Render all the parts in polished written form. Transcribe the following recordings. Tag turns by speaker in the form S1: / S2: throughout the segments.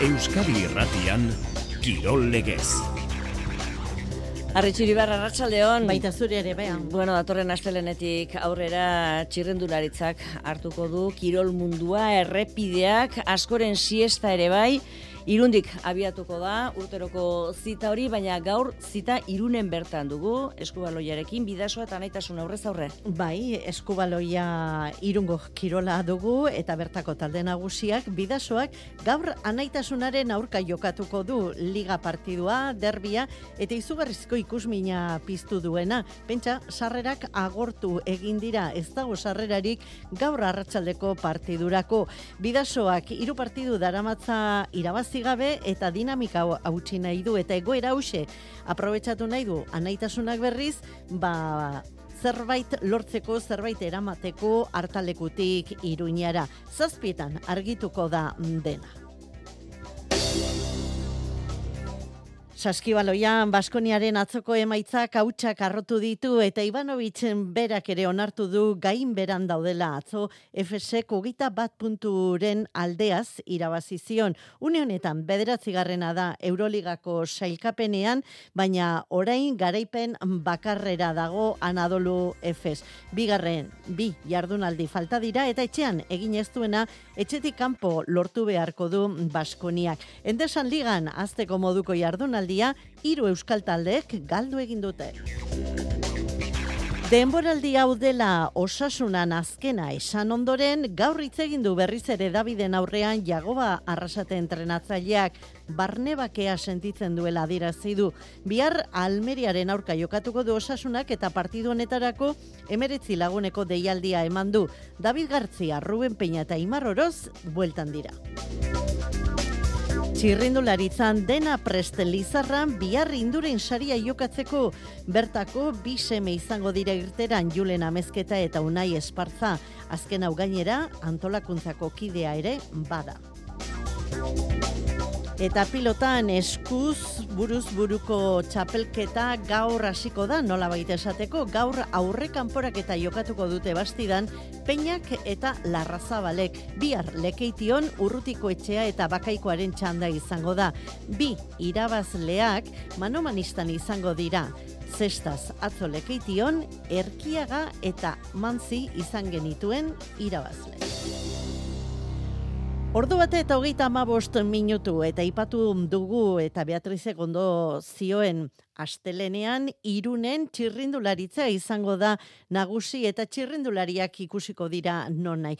S1: Euskadi Irratian, Kirol Legez.
S2: Arritxiribar, arratsaldeon.
S3: Baita zure ere, behan.
S2: Bueno, datorren astelenetik aurrera txirrendularitzak hartuko du kirol mundua, errepideak, askoren siesta ere bai. Irundik abiatuko da urteroko zita hori, baina gaur zita Irunen bertan dugu, eskubaloiarekin, Bidasoa eta Anaitasun aurrez aurre.
S3: Bai, eskubaloia Irungo kirola dugu eta bertako talde nagusiak Bidasoak gaur Anaitasunaren aurka jokatuko du liga partidua, derbia eta izugarrizko ikusmina piztu duena. Pentsa, sarrerak agortu egin dira, ez dago sarrerarik gaur arratsaldeko partidurako. Bidasoak 3 partidu daramatza irabazi gabe eta dinamika hautsi nahi du eta egoera hauxe aprobetxatu nahi du Anaitasunak berriz, zerbait lortzeko, zerbait eramateko hartalekutik Iruñara. 7 argituko da dena. Saskibaloian Baskoniaren atzoko emaitzak hautsak arrotu ditu eta Ivanovitzen berak ere onartu du gain beran daudela. Atzo FSek 21 punturen aldeaz irabazi zion. Une honetan 9. da Euroligako sailkapenean, baina orain garaipen bakarrera dago Anadolu Efes. 2 jardunaldi falta dira eta etxean egin ez duena etxetik kanpo lortu beharko du Baskoniak. Endesan ligan azteko moduko jardunaldi 3 euskal taldeek galdu egin dute. Denboraldi hau dela Osasunan azkena esan ondoren, gaur hitz egin du berriz ere Daviden aurrean Jagoba Arrasate entrenatzaileak barnebakea sentitzen duela adierazi du. Bihar Almeriaren aurka jokatuko du Osasunak eta partidu honetarako 19 laguneko deialdia eman du. David Gartzia, Ruben Peña eta Imar Oroz bueltan dira. Txirrindularitzan dena prest Lizarran bihar Induren saria jokatzeko, bertako 2 seme izango dira irteran, Julen Amezketa eta Unai Espartza. Azken hau gainera antolakuntzako kidea ere bada. Eta pilotan eskuz buruz buruko txapelketa gaur hasiko da, nolabait esateko, gaur aurre kanporaketa jokatuko dute Bastidan Peñak eta Larrazabalek. Bihar Lekeition, Urrutiko Etxea eta Bakaikoaren txanda izango da. 2 irabazleak manomanistan izango dira. Zestaz atzo Lekeition, Erkiaga eta Mantzi izan genituen irabazle. Ordu bate eta 35 minutu eta ipatu dugu eta Beatrizek ondo zioen astelenean Irunen txirrindularitza izango da nagusi eta txirrindulariak ikusiko dira nonai.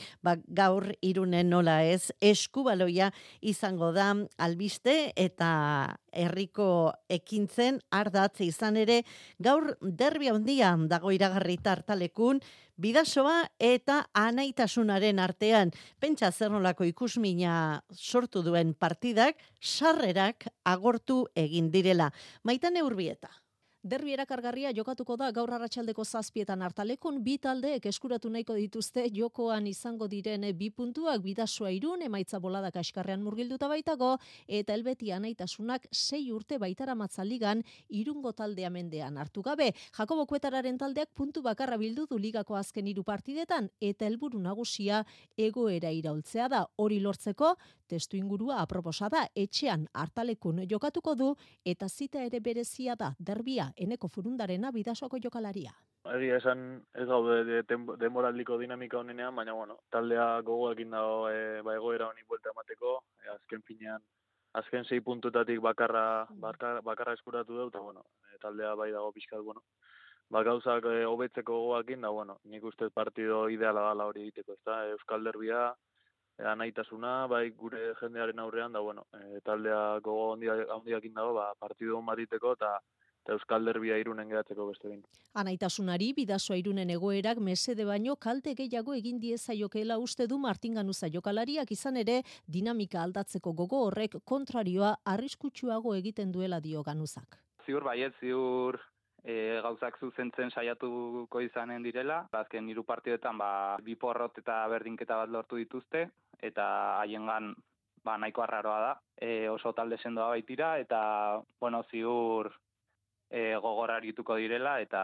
S3: Gaur Irunen nola ez eskubaloia izango da albiste eta herriko ekintzen ardatz izan ere gaur derbi handia dago iragarrita hartalekun Bidasoa eta Anaitasunaren artean. Pentsa zer nolako ikusmina sortu duen partidak sarrerak agortu egin direla. Maitane Urbieta.
S4: Derbi erakargarria jokatuko da gaur arratsaldeko 7 hartalekun, 2 taldeek eskuratu nahiko dituzte jokoan izango diren 2 puntuak. Bidasoa Irun emaitza bolada kaskarrean murgilduta baitago eta Helbeti Anaitasunak 6 urte baitaramatza ligan Irungo taldea mendean hartu gabe. Jakobo Kuetararen taldeak puntu bakarra bildu du ligako azken 3 partidetan eta helburu nagusia egoera iraultzea da. Hori lortzeko testu ingurua aproposa da, etxean hartalekun jokatuko du eta zita ere berezia da derbia Eneko Furundarena Bidasoako jokalaria.
S5: Egia esan ez gaude denboraldiko dinamika honenean, baina taldea gogoekin dago egoera honi buelta emateko, azken finean, azken 6 puntutatik bakarra eskuratu dut, eta taldea bai dago pixkat, gauzak hobetzeko gogoekin, nik uste partido ideala dala hori egiteko, ezta? Euskal derbia, Anaitasuna, bai gure jendearen aurrean, taldea gogo handiakin dago, partido hon bat egiteko, eta Euskal derbia Irunen geratzeko beste behin.
S4: Anaitasunari Bidasoa Irunen egoerak mesede baino kalte gehiago egin diezaiokela uste du Martin Ganuza jokalariak, izan ere dinamika aldatzeko gogo horrek kontrarioa arriskutsuago egiten duela dio Ganuzak.
S6: Ziur baiet, gauzak zuzentzen saiatuko izanen direla. Azken 3 partidetan 2 porrot eta berdinketa bat lortu dituzte eta haiengan nahiko arraroa da. Oso talde sendoa baitira eta ziur gogor arituko direla eta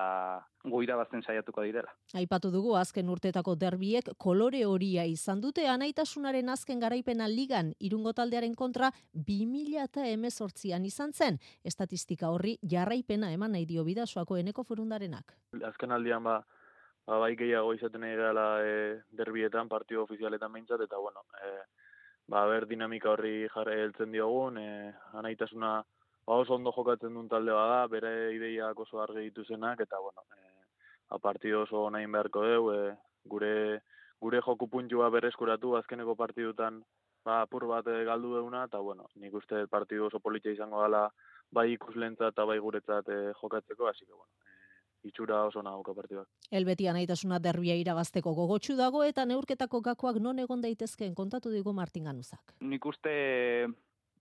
S6: gu irabazten saiatuko direla.
S4: Aipatu dugu azken urtetako derbiek kolore horia izan dute, anaitasunaren azken garaipena ligan Irungo taldearen kontra 2018an izan zen. Estatistika horri jarraipena eman nahi dio Bidasoako Eneko Forundarenak.
S5: Azken aldian bai gehiago izaten nahi gala derbietan, partido ofizialetan behintzat, eta bueno, ber dinamika horri jarri heltzen diogun, anaitasuna oso ondo jokatzen duen talde bada, bere ideiak oso argi dituzenak, eta bueno, partido oso nahin beharko deu, gure joku puntua berreskuratu azkeneko partidutan apur bat galdu deuna, eta bueno, nik uste partidu oso politxa izango dela bai ikuslentzat eta bai guretzat jokatzeko, hasi que bueno, itxura oso nahuka partidua.
S4: Elbeti anaitasuna derbia irabazteko gogotsu dago eta neurketako gakoak non egon daitezkeen kontatu digu Martin Ganuzak.
S6: Nik uste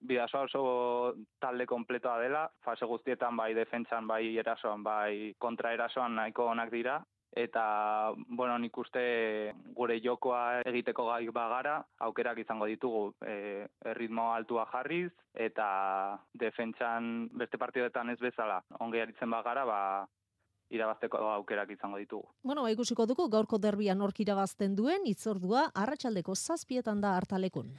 S6: Bidasoa oso talde kompletoa dela, fase guztietan bai defentsan, bai erasoan, bai kontraerasoan nahiko onak dira, eta bueno, nik uste gure jokoa egiteko gai bagara, aukerak izango ditugu erritmo altua jarriz, eta defentsan beste partidetan ez bezala, ongi aritzen bagara, irabazteko aukerak izango ditugu.
S4: Bueno, ikusiko dugu gaurko derbian nork irabazten duen, hitzordua arratsaldeko 7:00 da Hartalekun.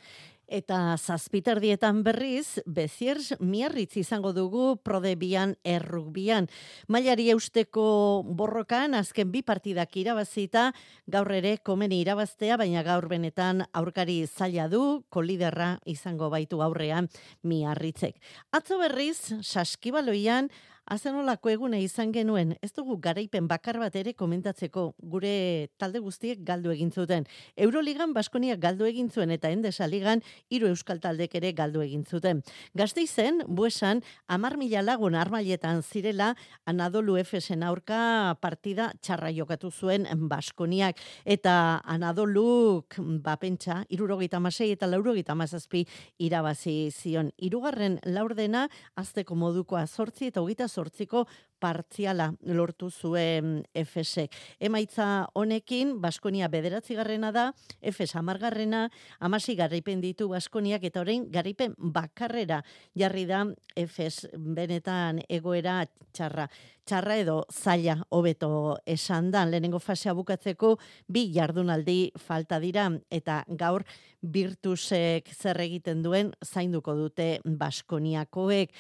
S3: Eta 7:00 berriz, Beziers Miarritz izango dugu Prodebian errugbian. Mailari eusteko borrokan azken 2 partidak irabazita, gaur ere komeni irabaztea, baina gaur benetan aurkari zaila du, koliderra izango baitu aurrean Miarritzek. Atzo berriz, Saskibaloian azenolako egune izan genuen, ez dugu garaipen bakar bat ere komentatzeko, gure talde guztiek galdu egin zuten. Euroligan Baskoniak galdu egin zuen eta Endesa ligan 3 euskal taldek ere galdu egin zuten. Gasteizen, Buesan, 10.000 lagun armailetan zirela Anadolu Efesen aurka partida txarra jokatu zuen Baskoniak. Eta Anadoluk, pentsa, 76 eta 97 irabazi zion. 3. laurdena, azteko modukoa 8 eta 28ko partziala lortu zuen Efesek. Emaitza honekin, Baskonia 9. da, Efes 10. 16 garaipen ditu Baskoniak eta orain garaipen bakarrera jarri da Efes, benetan egoera txarra edo zaila hobeto esan da. Lehenengo fasea bukatzeko 2 jardunaldi falta dira eta gaur Virtusek zer egiten duen zainduko dute Baskoniakoek.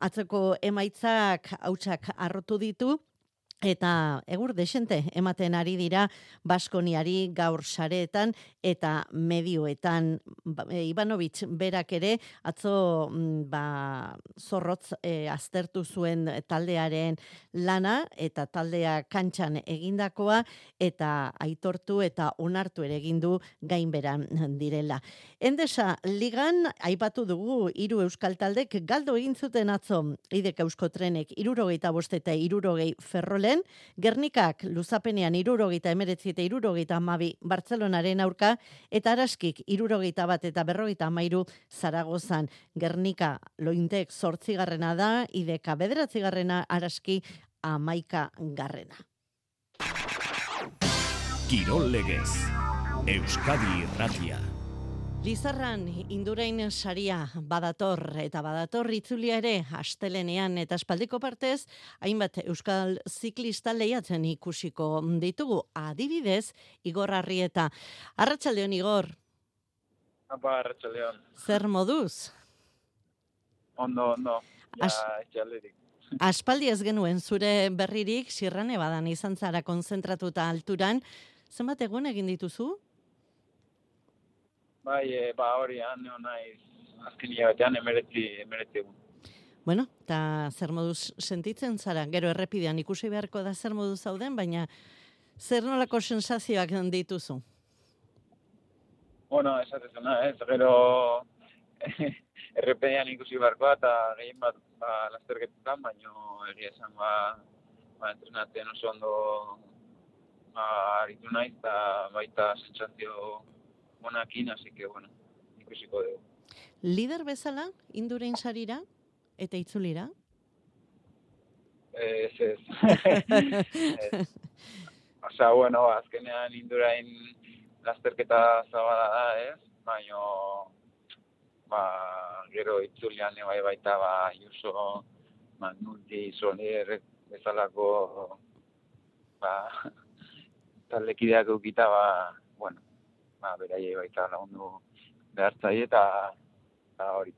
S3: Atzeko emaitzak hautsak arrotu ditu, eta egur desente ematen ari dira Baskoniari gaur sareetan eta medioetan. Ivanovic berak ere atzo zorrotz aztertu zuen taldearen lana eta taldea kantxan egindakoa eta aitortu eta onartu ere egin du gainberan direla. Endesa ligan aipatu dugu 3 euskal taldek galdu egin zuten atzo, Idek Euskotrenek 75 eta 60 Ferrolen, Gernikak luzapenean 79 eta 72 Bartzelonaren aurka, eta Araskik 71 eta 53 Zaragozan. Gernika Lointek 8. da, Ideka 9. Araski 11.
S1: Kirol legez, Euskadi Irratia.
S3: Lizarran Indurain saria badator eta badator itzulia ere astelenean eta espaldiko partez hainbat euskal ziklista lehiatzen ikusiko ditugu, adibidez Igor Arrieta. Arratsaldeon Igor.
S7: Arratsaldeon.
S3: Zer moduz?
S7: Ondo. Ja, etxalderik.
S3: Aspaldi ez genuen zure berririk, Sierra Nevadan izan zara konzentratuta alturan. Zenbat egun egin dituzu?
S7: Bai, hori neo naiz azken hilabetean 19 egun.
S3: Bueno, eta zer moduz sentitzen zara? Gero errepidean ikusi beharko da zer moduz zauden, baina zer nolako sensazioak dituzu?
S7: Bueno, esatezuna, gero errepidean ikusi beharkoa eta gehien bat lasterketetan, baina egia esan entrenatzen oso ondo aritu naiz eta baita sentsazio monakin, así que, bueno, ikusiko dugu.
S3: Lider bezala, Indurain sarira eta itzulira?
S7: Ez. Osa, bueno, azkenean Indurain lasterketa zabala da, ez? Baina, gero itzulian baita, Juso, Nulti Solier bezalako taldekideak eukita, beraiei baita lagundu behartzaile eta hori.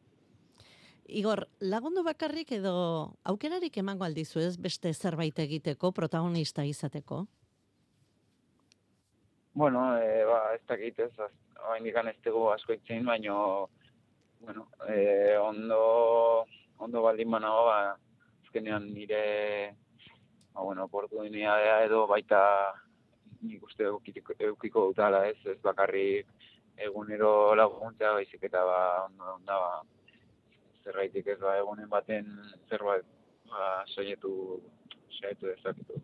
S3: Igor, lagundu bakarrik edo aukerarik emango aldizu ez beste zerbait egiteko, protagonista izateko?
S7: Ez dakit ez, oraindik ez dugu asko itzen, baina, ondo baldin banago, azkenean nire, oportunitatea edo baita nik uste eukiko dutala ez bakarrik egunero laguntzea, baizik eta onda zerraitik ez egunen baten zerbait saiatu dezaketu.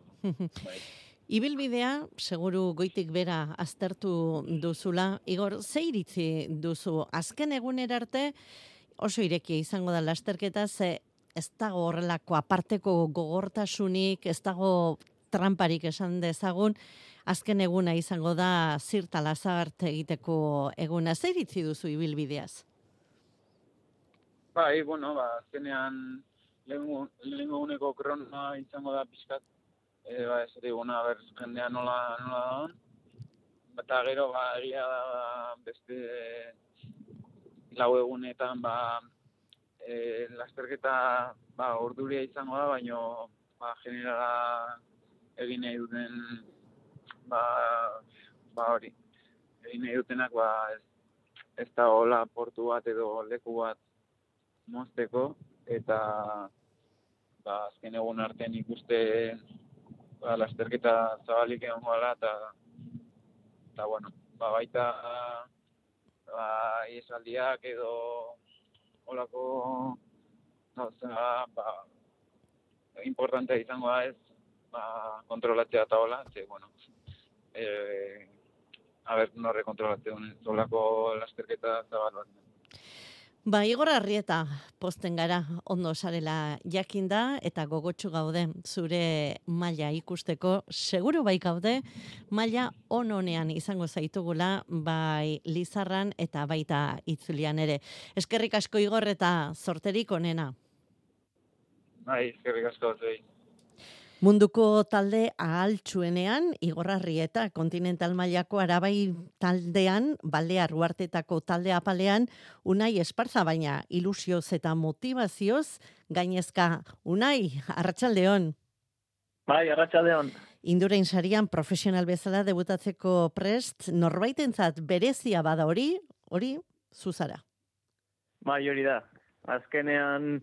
S3: Ibilbidea, seguru goitik bera aztertu duzula. Igor, ze iritzi duzu? Azken egunera arte oso irekia izango da lasterketa, ze ez dago horrelako aparteko gogortasunik, ez dago tramparik esan dezagun, azken eguna izango da zirta lazart egiteko eguna. Ze iritzi duzu ibilbideaz?
S7: Azkenean lehengo eguneko krona izango da pixkat, ez diguna, jendea nola da. Eta gero, egia da beste lau egunetan, lasterketa orduria izango da, baino generala egin nahi duten, hori, egin nahi dutenak, ez da hola portu bat edo leku bat mozteko, eta azken egun artean ikuste lasterketa zabalik egon gara, eta baita iesaldiak edo holako gauza importantea izango da ez kontrolatzea eta hola, norre kontrolatzen holako lasterketa zabal bat.
S3: Igor Arrieta posten gara ondo sarela jakinda eta gogotsu gaude zure maila ikusteko, seguru bai gaude maila onean izango zaitugula bai Lizarran eta baita itzulian ere. Eskerrik asko Igor eta zorterik onena.
S7: Eskerrik asko zuei.
S3: Munduko talde ahaltsuenean Igor Arrieta, kontinental mailako Arabai taldean, Balear Uhartetako talde apalean, Unai Esparza, baina ilusioz eta motivazioz gainezka. Unai, arratsaldeon.
S8: Arratsaldeon.
S3: Indurain sarian profesional bezala debutatzeko prest, norbaitentzat berezia bada hori zuzara.
S8: Hori da. Azkenean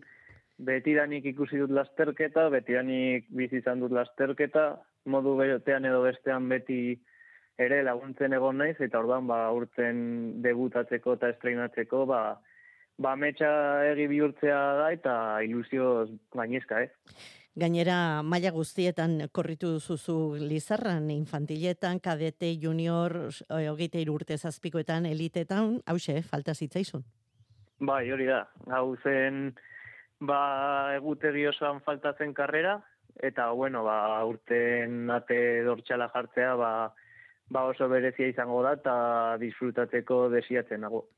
S8: betidanik ikusi dut lasterketa, betidanik bizi izan dut lasterketa, modu betean edo bestean beti ere laguntzen egon naiz, eta orduan urten debutatzeko eta estreinatzeko, metxa egi bihurtzea da eta ilusioz gainezka,
S3: Gainera, maila guztietan korritu duzu Lizarran, infantiletan, kadete, junior, 23 urte zazpikoetan, elitetan, hauxe, falta zitzaizun.
S8: Hori da. Hau zen egutegi osoan faltatzen karrera, eta urten ate dortxala jartzea oso berezia izango da eta disfrutatzeko desiatzen nago.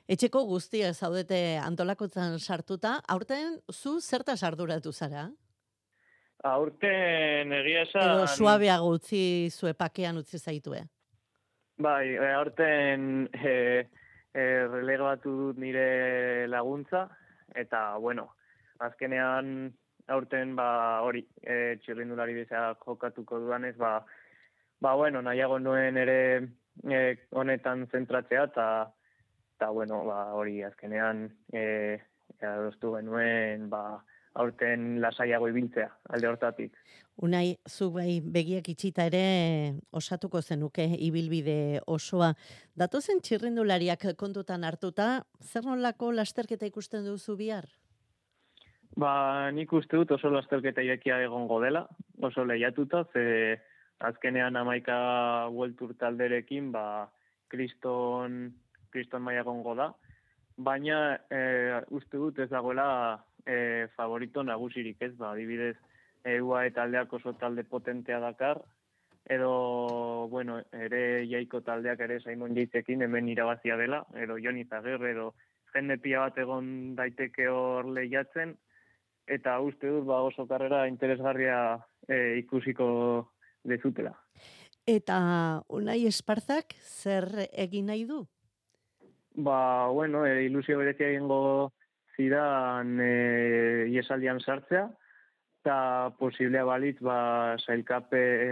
S3: Etxeko guztia zaudete antolakotzan sartuta, aurten zu zertaz arduratu zara?
S8: Aurten egia esan...
S3: Edo suabeago pakean utzi zaitue?
S8: Aurten relegatu dut nire laguntza, eta azkenean aurten hori txirrindulari bezala jokatuko dudanez, nahiago nuen ere honetan zentratzea, eta hori azkenean adostu genuen aurten lasaiago ibiltzea alde hortatik.
S3: Unai, zu begiak itxita ere osatuko zenuke ibilbide osoa. Datozen txirrindulariak kontutan hartuta, zer nolako lasterketa ikusten duzu bihar?
S8: Nik uste dut oso lasterketa irekia egongo dela, oso lehiatuta, ze azkenean 11 World Tour talderekin, kriston maila egongo da, baina uste dut ez dagoela favorito nagusirik ez, adibidez, UAE taldeak oso talde potentea dakar, edo, ere Jaiko taldeak ere Simon Yatesekin hemen irabazia dela, edo Joni Zagirre, edo jende pila bat egon daiteke hor lehiatzen, eta uste dut oso karrera interesgarria ikusiko dezutela.
S3: Eta Unai Esparzak zer egin nahi du?
S8: Ilusio berezia egingo zidan iesaldian sartzea, eta posiblea balitz,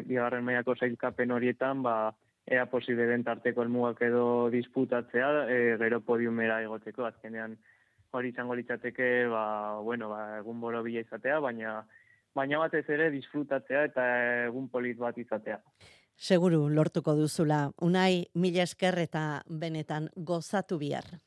S8: bigarren mailako sailkapen horietan, ea posible den tarteko helmugak edo disputatzea, gero podiumera egoteko, azkenean hori izango litzateke, egun borobila izatea, baina batez ere disfrutatzea eta egun polit bat izatea.
S3: Seguru lortuko duzula. Unai, mila esker eta benetan gozatu bihar.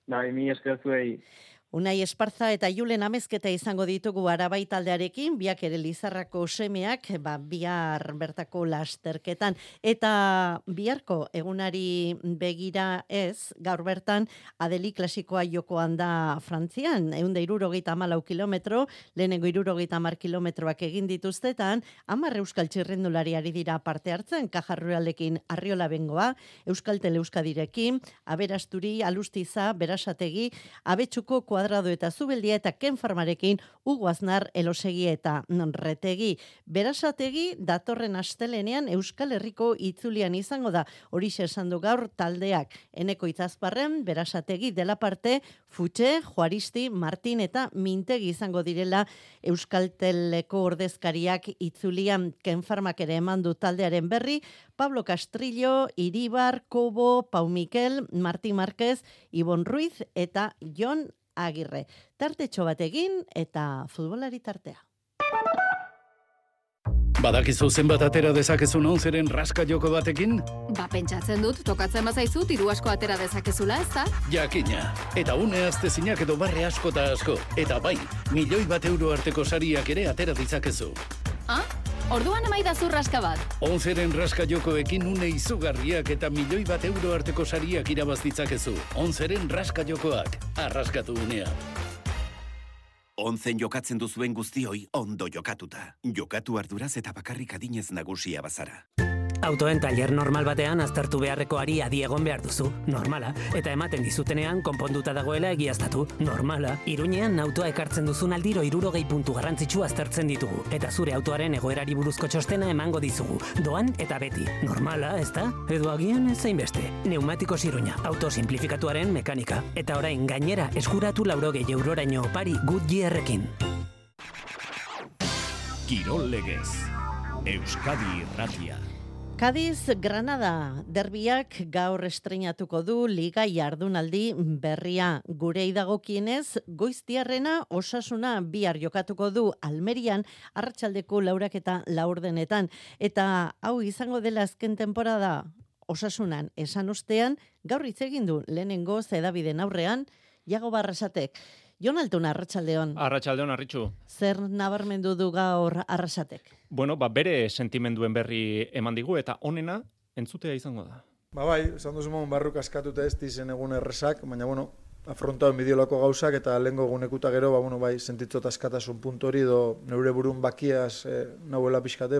S8: Mila esker zuei.
S3: Unai Esparza eta Julen Amezketa izango ditugu Arabai taldearekin, biak ere Lizarrako semeak, bihar bertako lasterketan. Eta biharko egunari begira ez, gaur bertan Adeli klasikoa jokoan da Frantzian, 164 kilometro, lehenengo 70 kilometroak egin dituztetan, 10 euskal txirrendulari ari dira parte hartzen, Kajarrualekin Arriola Bengoa, Euskaltel Euskadirekin, Aberasturi, Alustiza, Berasategi, Abetxuko Kuadrado eta Zubeldia eta Ken Farmarekin Hugo Aznar, Elosegi eta Retegi. Berasategi datorren astelenean Euskal Herriko itzulian izango da. Horixe esan du gaur taldeak. Eneko Itzazparren, Berasategi dela parte, Futxe, Juaristi, Martin eta Mintegi izango direla Euskalteleko ordezkariak itzulian. Ken Farmak ere eman du taldearen berri, Pablo Castrillo, Iribar, Kobo, Pau Mikel, Martín Márquez, Ibon Ruiz eta Jon Agirre. Tartetxo bat egin eta futbolari tartea.
S1: Badakizu zenbat atera dezakezun 11ren raska joko batekin?
S9: Pentsatzen dut, tokatzen bazaizu, diru asko atera dezakezula, ezta?
S1: Jakina. Eta une astezinak edo barre asko eta asko. Eta bai, €1.000.000 arteko sariak ere atera ditzakezu.
S9: Orduan emaidazu raska bat.
S1: 11ren raska jokoekin une izugarriak eta €1.000.000 arteko sariak irabaz ditzakezu. 11ren raska jokoak. Arraskatu unea.
S10: 11 jokatzen duzuen guztioi ondo jokatuta. Jokatu arduraz eta bakarrik adinez nagusia bazara.
S11: Autoen tailer normal batean aztertu beharrekoari adi egon behar duzu, normala. Eta ematen dizutenean konponduta dagoela egiaztatu, normala. Iruñean autoa ekartzen duzun aldiro 60 puntu garrantzitsu aztertzen ditugu. Eta zure autoaren egoerari buruzko txostena emango dizugu. Doan eta beti, normala, ezta? Edo agian ez zainbeste. Neumatikos Iruña, auto simplifikatuaren mekanika. Eta orain gainera eskuratu €60 opari Goodyearrekin.
S1: Kirol legez. Euskadi Irratia.
S3: Cádiz, Granada, derbiak gaur estreinatuko du Liga jardunaldi berria. Gurei dagokienez, Goiztiarrena Osasuna bihar jokatuko du Almerian arratsaldeko 4:04. Eta hau izango dela azken temporada Osasunan esan ostean, gaur hitz egin du lehenengo hedabideen aurrean Iago Barrasatek. Jon Altun, arratsaldeon.
S12: Arratsaldeon, Arritxu.
S3: Zer nabarmendu du gaur Arrasatek?
S12: Bere sentimenduen berri eman digu eta onena entzutea izango da.
S13: Esan duzu mon barruk askatuta ez dizen egun errezak, baina afrontatu bideolako gauzak eta lehengo egunekuta gero, sentitzot askatasun puntu hori edo neure burun bakiaz nahuela pixkate,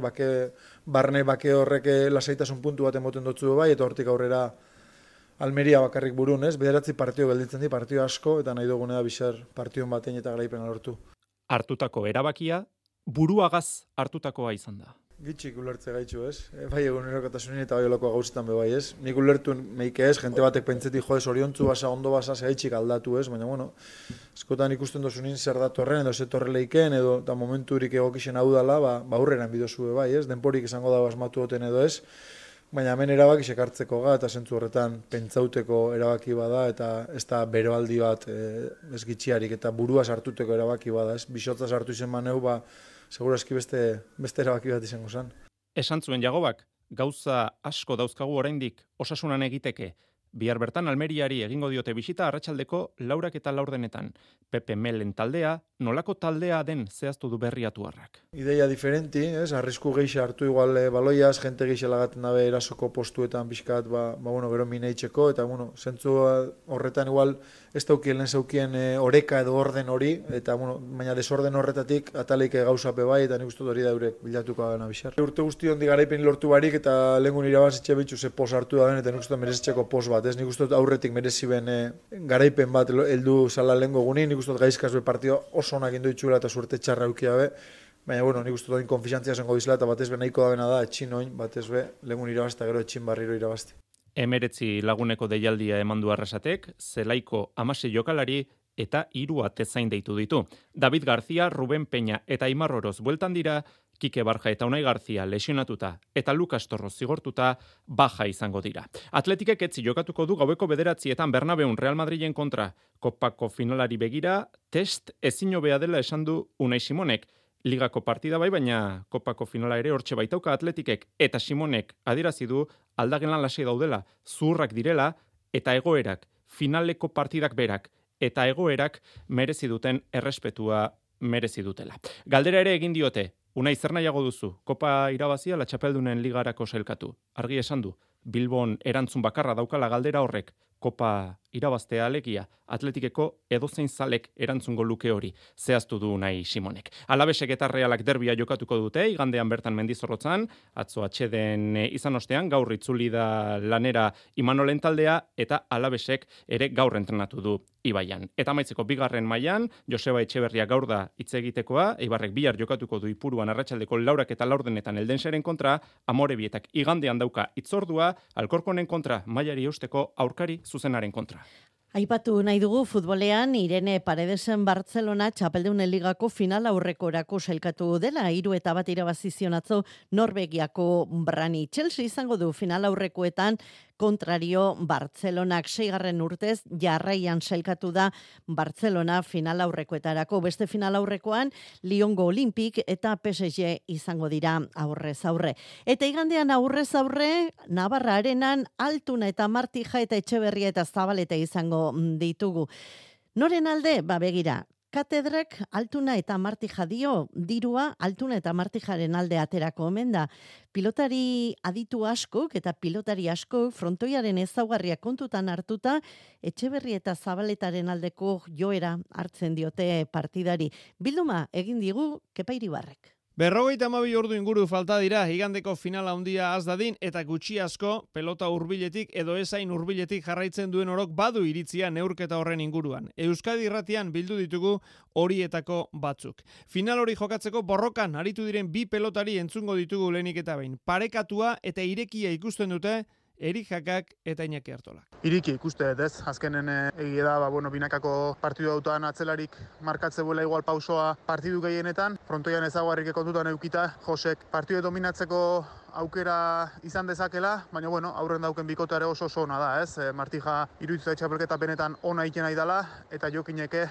S13: barne bake horrek lasaitasun puntu bat emoten dutzu eta hortik aurrera Almeria bakarrik burun, ez? Bederatzi partio gelditzen di, partio asko, eta nahi dugunea bizar partion batein eta garaipena lortu.
S12: Hartutako erabakia, buruagaz hartutakoa izan da.
S13: Gitxik ulertze gaitxu, ez? Bai egunerokotasunin eta bai olako gauzetan bai, ez? Nik ulertu meike ez, jente batek pentsetik oriontzu basa, ondo basa, gaitxik aldatu, ez? Baina, eskotan ikusten dozunin zer datorren, edo zetorre leiken, edo eta momenturik egokixen hau dala, aurreran bidozue bai, ez? Denporik izango da asmatu oten edo ez? Baina hemen erabaki sekartzeko eta zentzu horretan pentsauteko erabaki bada eta ez da beroaldi bat ez gitxiarik eta burua sartuteko erabaki bada, ez? Bisotza sartu izen maneu, segurazki beste erabaki bat izango zen.
S12: Esan zuen Jagobak, gauza asko dauzkagu oraindik Osasunan egiteke. Bihar bertan Almeriari egingo diote bisita arratsaldeko 4:04. Pepe Melen taldea, nolako taldea den zehaztu du Berriatuarrak.
S13: Ideia diferenti, ez? Arrisku gehiago hartu igual baloiaz, jente gehiago lagaten dabe erasoko postuetan pixkat, gero mineitzeko, eta zentzu horretan igual ez daukien lehen zaukien oreka edo orden hori, eta baina desorden horretatik ataleik gauzape bai, eta nik uste hori da eurek bilatuko gana bixar. Urte guzti hondi garaipen lortu barik, eta lehengun irabazitxe bitxu ze pos hartu da den, eta nik uste merezitzeko pos bat bat, ez? Nik uste dut aurretik merezi ben garaipen bat heldu zala lehengo gunin, nik uste dut gaizkaz be partida oso onak indu itxula eta suerte txarra eukia be, baina, bueno, nik uste dut konfiantzia zengo dizela eta batez be nahiko da bena da, etxin oin, batez be, lehengun irabazta, gero etxin barriro irabazti.
S12: 19 laguneko deialdia emandu Arrasatek, Zelaiko 16 jokalari eta 3 atezain deitu ditu. David García, Ruben Peña eta Aimar Oroz bueltan dira, Kike Barja eta Unai Garzia lesionatuta eta Lukas Torro zigortuta baja izango dira. Atletikek etzi jokatuko du gaueko 9:00 Bernabeun Real Madrilen kontra. Kopako finalari begira, test ezin hobea dela esan du Unai Simonek. Ligako partida bai, baina Kopako finala ere hortxe baitauka Atletikek eta Simonek adierazi du aldagelan lasai daudela, zurrak direla eta egoerak, finaleko partidak berak eta egoerak merezi duten errespetua merezi dutela. Galdera ere egin diote, Unai zer nahiago duzu, Kopa irabazia la txapeldunen ligarako sailkatu. Argi esan du, Bilbon erantzun bakarra daukala galdera horrek, Kopa irabaztea alegia, Atletikeko edozein zalek erantzungo luke hori, zehaztu du Unai Simonek. Alabesek eta Realak derbia jokatuko dute, igandean bertan Mendizorrotzan, atzo atxeden izan ostean, gaur itzuli da lanera Imanolen taldea, eta Alabesek ere gaur entrenatu du Ibaian. Eta amaitzeko bigarren mailan, Joseba Etxeberria gaur da hitz egitekoa, Eibarrek bihar jokatuko du Ipuruan arratsaldeko 4 eta 4 Eldenseren kontra, Amorebietak igandean dauka itzordua, Alkorkonen kontra, mailari eusteko aurkari zuzenaren kontra.
S3: Aipatu nahi dugu futbolean Irene Paredesen Barcelona txapeldunen ligako final aurrekorako sailkatu dela, 3-1 irabazi zion atzo Norvegiako Brani. Chelsea izango du final aurrekoetan kontrario Bartzelonak 6. urtez jarraian sailkatu da Barcelona final aurrekoetarako. Beste final aurrekoan Lyongo Olympic eta PSG izango dira aurrez aurre. Eta igandean aurrez aurre Navarra Arenan Altuna eta Martija eta Etxeberria eta Zabaleta izango ditugu. Noren alde? Begira, Katedrak Altuna eta Martija dio, dirua Altuna eta Martijaren alde aterako omen da. Pilotari aditu askok eta pilotari askok frontoiaren ezaugarriak kontutan hartuta, Etxeberria eta Zabaletaren aldeko joera hartzen diote partidari. Bilduma egin digu Kepa Iribarrek.
S14: 52 ordu inguru falta dira igandeko finala handia az dadin eta gutxi asko pelota hurbiletik edo ezain hurbiletik jarraitzen duen orok badu iritzia neurketa horren inguruan. Euskadi Irratian bildu ditugu horietako batzuk. Final hori jokatzeko borrokan aritu diren bi pelotari entzungo ditugu lehenik eta behin. Parekatua eta irekia ikusten dute Erik Jakak eta Iñaki Artolak.
S15: Iriki ikuste dut ez, azkenen egia da, binakako partidu autan atzelarik markatze buela igual pausoa partidu gehienetan, frontoian ezaguarrik kontutan eukita, Josek partidu dominatzeko aukera izan dezakela, baina aurren dauken bikoteare oso ona da, ez? Martija iruditzen txapelketa benetan ona egiten nahi dela eta Jokineke,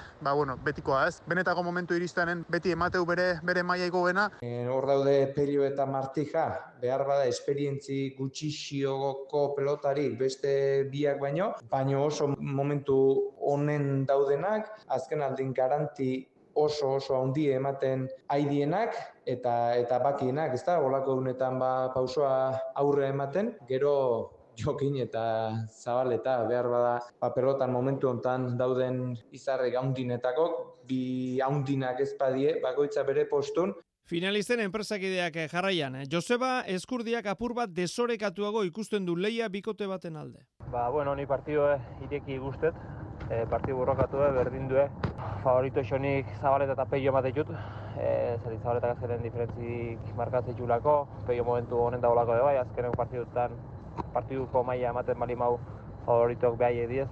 S15: betikoa, ez? Benetako momentu iristenen beti emateu bere maila igoena.
S16: Hor daude Pello eta Martija, behar bada esperientzi gutxixioko pelotari beste biak baino oso momentu honen daudenak, azken aldin garanti oso handi ematen aidienak eta bakienak, ezta? Olako unetan pausoa aurre ematen, gero Jokin eta Zabaleta behar bada pelotan momentu hontan dauden izarrek haundinetako, bi haundinak ezpadie, bakoitza bere postun.
S14: Finalisten enpresakideak jarraian, Joseba Eskurdiak apur bat desorekatuago ikusten du leia bikote baten alde.
S17: Ni partidu ireki guztet, partidu borrokatu berdin du, favorito xonik Zabaleta eta Peio ematen jut, zari Zabaleta azkenen diferentzik markatzen julako, Peio momentu honen daulako bai, azkenen partiduko maila ematen bali mau favoritok behai ediez,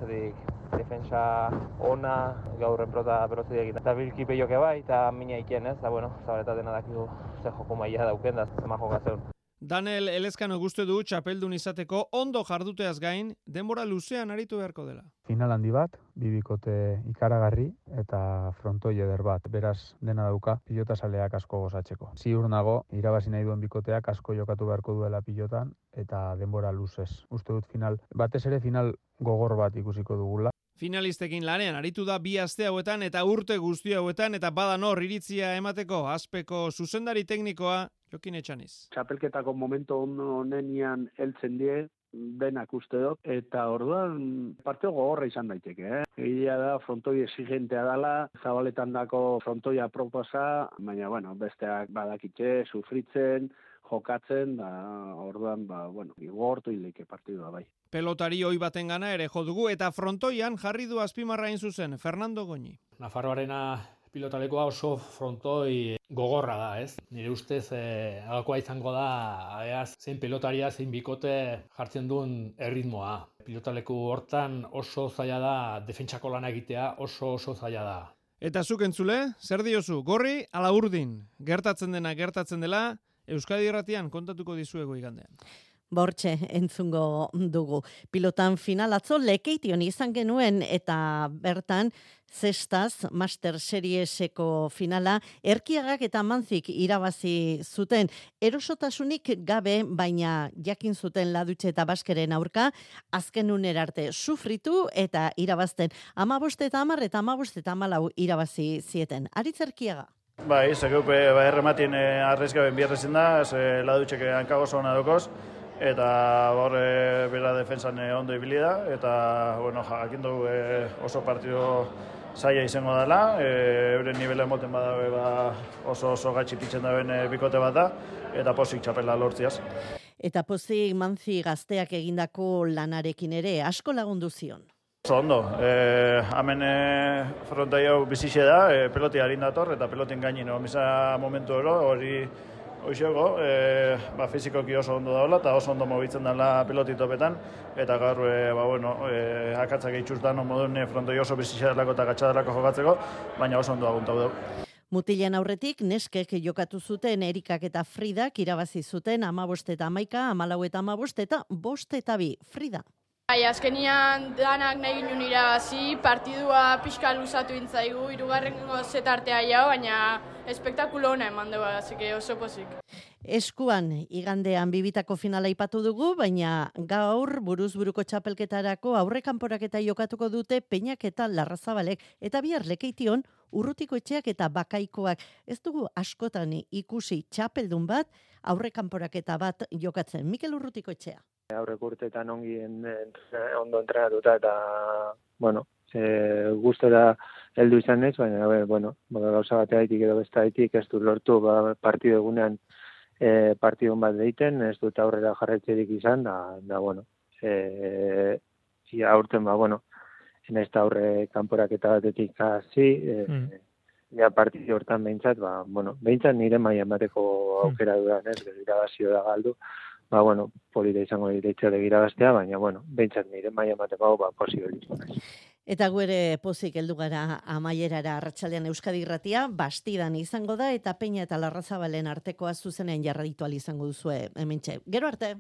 S17: defensa ona, gaurren prota berozide egin. Eta bilki Peioke bai, eta mina ikien ez, Zabaleta dena dakigu ze joko maila dauken da, zema jokatzen.
S14: Daniel Elezkano guzti du txapeldun izateko ondo jarduteaz gain, denbora luzean aritu beharko dela.
S18: Final handi bat, bibikote ikaragarri eta frontoi eder bat. Beraz dena dauka pilotasaleak asko gozatzeko. Ziur nago, irabazi nahi duen bikoteak asko jokatu beharko duela pilotan eta denbora luzez. Uste dut batez ere final gogor bat ikusiko dugula.
S14: Finalistekin lanean aritu da 2 aste hauetan eta urte guzti hauetan eta badan hor iritzia emateko azpeko zuzendari teknikoa Jokin Etxaniz.
S19: Txapelketako momentu honenian heltzen die, denak uste dut, eta orduan partio gogorra izan daiteke. Egia da, frontoi exigentea dela, Zabaletan dako frontoia proposa, baina besteak badakitxe, sufritzen, jokatzen, da, orduan, igortu hileke partidua bai.
S14: Pelotari hoi baten gana ere jo dugu eta frontoian jarri du azpimarra hain zuzen Fernando Goñi.
S20: Nafarroarena pilotalekoa oso frontoi gogorra da, ez? Nire ustez, agakoa izango da, zein pelotaria, zein bikote jartzen duen erritmoa. Pilotaleku hortan oso zaila da, defentsako lana egitea oso zaila da.
S14: Eta zuk entzule, zer diozu, gorri ala urdin? Gertatzen dela, Euskadi Irratian kontatuko dizuego igandean.
S3: Bortxe entzungo dugu. Pilotan final atzo Lekeition izan genuen eta bertan zestaz Master Serieseko finala Erkiagak eta Manzik irabazi zuten. Erosotasunik gabe, baina jakin zuten Ladutxe eta Baskeren aurka azken unera arte sufritu eta irabazten 15 eta 10 eta 15 eta 14 irabazi zieten. Aritz Erkiaga.
S21: Bai, zekeupe errematien arrezgaben biarrezen da, Ladutxek hankago zona dokoz, eta hor bera defensan ondo ibili da, eta jakin dugu oso partido zaila izango dela, euren nivela emoten badabe oso gatsi pitzen daben bikote bat da, eta pozik txapela lortziaz.
S3: Eta pozik Manzi gazteak egindako lanarekin ere asko lagundu zion.
S21: Oso ondo, hemen frontai hau bizixe da, peloti harin dator, eta pelotin gainin omisa momentu hori hoxego, fizikoki oso ondo daula, eta oso ondo mobitzen dela pelotitopetan, eta gaur, akatzak eitxustan moduen frontoi oso bizixe delako eta gatxadelako jokatzeko, baina oso ondo aguntau dugu.
S3: Mutilen aurretik, neskek jokatu zuten Erikak eta Fridak irabazi zuten 15 eta 11, 14 eta 15 eta 5 eta 2. Frida.
S22: Bai, azkenian danak nahi ginen irabazi, partidua pixka luzatu intzaigu, hirugarrengo zetartea jau, baina espektakulo hona eman dugu, oso pozik.
S3: Eskuan, igandean bibitako finala ipatu dugu, baina gaur buruz-buruko txapelketarako aurrekanporaketa jokatuko dute Peñak eta Larrazabalek, eta bihar Lekeition Urrutiko etxeak eta Bakaikoak. Ez dugu askotan ikusi txapeldun bat, aurrekanporaketa bat jokatzen. Mikel Urrutiko etxea.
S23: Aurrek urteetan ondo entrenatuta eta, gustora heldu izan ez, baina, gauza bateaitik edo bestaitik ez du lortu partido egunean partidun bat deiten, ez dut aurrera jarraitzerik izan, aurten, naiz eta aurre kanporaketa batetik hasi, partidu hortan behintzat, behintzat nire mailan bateko aukera dudan, ez, irabazio da galdu, polita izango direitxore irabaztea, baina, behintzat nire mailan bateko posibilismo.
S3: Eta guere pozik heldu gara amaierara arratsaldean Euskadi Irratia, Bastidan izango da, eta Peña eta Larrazabalen artekoa zuzenean jarraitu ahal izango duzue hementxe. Gero arte!